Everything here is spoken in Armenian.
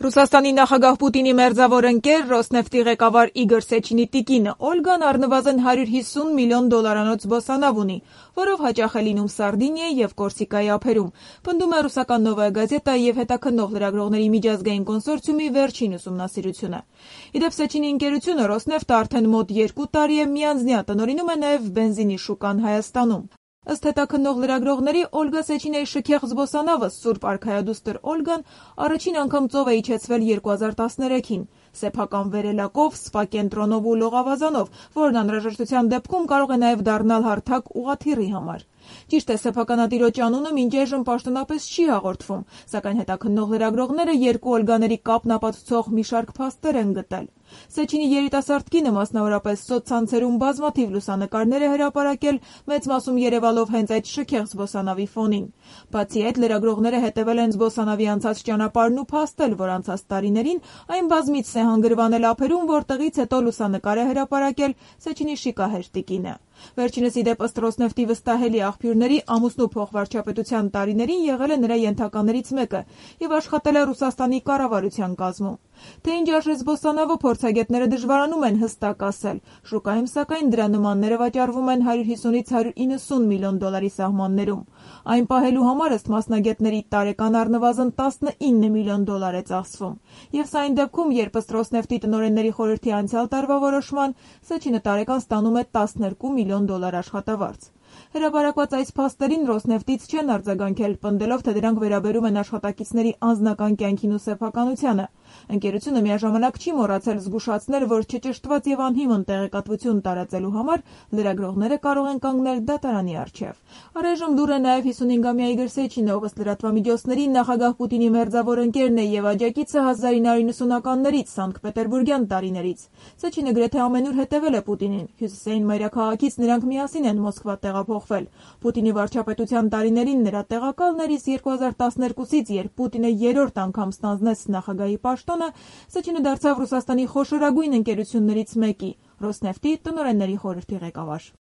Ռուսաստանի նախագահ Պուտինի մերձավոր ընկեր Ռոսնեֆտի ղեկավար Իգոր Սեչինի տիկինը Օլգան առնվազն $150 միլիոն զբոսանավ ունի, որով հաճախ է լինում Սարդինիայի և Կորսիկայի ափերում, պնդում է ռուսական «Նովայա գազետա» և հետաքննող լրագրողների միջազգային կոնսորցիումի վերջին ուսումնասիրությունը։ Ի դեպ, Սեչինի ընկերությունը Ռոսնեֆտը արդեն մոտ 2 տարի է միանձնյա տնօրինում է նաև բենզինի շուկան Հայաստանում։ Ըստ հետաքննող լրագրողների, Օլգա Սեչինայի շքեղ զբոսանավը Սուրբ արքայադուստր Օլգան առաջին անգամ ծով է իջեցվել 2013-ին, սեփական վերելակով, սպա կենտրոնով ու լողավազանով, որն անհրաժեշտության դեպքում կարող է նաև դառնալ հարթակ ուղղաթիռի համար։ Ճիշտ է, սեփականատիրոջ անունը մինչեժմ պաշտոնապես չի հաղորդվում, սակայն հետաքննող լրագրողները երկու Օլգաների կապն ապացուցող մի շարք փաստեր են գտել։ Սեչինի երիտասարդ կինը մասնավորապես սոցցանցերում բազմաթիվ լուսանկարներ է հրապարակել, մեծ մասում երևալով հենց այդ շքեղ զբոսանավի ֆոնին։ Բացի այդ, լրագրողները հետևել են զբոսանավի անցած ճանապարհն ու փաստել, որ անցած տարիներին այն բազմիցս է հանգրվանել ափերում, որտեղից հետո լուսանկար է հրապարակել Սեչինի շիկահեր տիկինը։ Վերջինս, ի դեպ, ըստ Ռոսնեֆտի վստահելի աղբյուրների, ամուսնու փոխվարչապետության տարիներին եղել է նրա ենթականերից մեկը և աշխատել է Ռուսաստանի կառավարության կազմում։ Թե ինչ արժե զբոսանավը, փորձագետները դժվարանում են հստակ ասել։ Շուկայում, սակայն, դրա նմանները վաճառվում են $150-ից $190 միլիոն սահմաններում։ Այն պահելու համար, ըստ մասնագետների, տարեկան առնվազն $19 միլիոն է ծախսվում։ Եվ սա այն դեպքում, երբ ըստ Ռոսնեֆտի տնօրենների խորհրդի անցյալ տարվա որոշման, Սեչինը տարեկան ստանում է $12 միլիոն աշխատավարձ։ Հրապարակված այս փաստերին Ռոսնեֆտից չեն արձագանքել, պնդելով, թե դրանք վերաբերում են աշխատակիցների անձնական կյանքին ու սեփականությանը։ Ընկերությունը միաժամանակ չի մոռացել զգուշացնել, որ չճշտված և անհիմն տեղեկատվություն տարածելու համար լրագրողները կարող են կանգնել դատարանի առջև։ Առայժմ լուռ է նաև 55-ամյա Իգոր Սեչինը, ով ըստ լրատվամիջոցների նախագահ Պուտինի մերձավոր ընկերն է և աջակիցը 1990-ականներից, Սանկտ-Պետերբուրգյան տարիներից։ Սեչինը գրեթե ամենուր հետևել է Պուտինին։ Հյուսիսային մայրաքաղաքից նրանք միասին են Մոսկվա տեղափոխվել։ Պուտինի վարչապետության տարիներին նրա տեղակալն էր, իսկ 2012-ից, երբ Պուտինը երրորդ անգամ ստանձնեց նախագահի պաշտոնը, Սեչինը դարձավ Ռուսաստանի խոշորագույն ընկերություններից մեկի՝ Ռոսնեֆտի տնօրենների խորհրդի ղեկավար։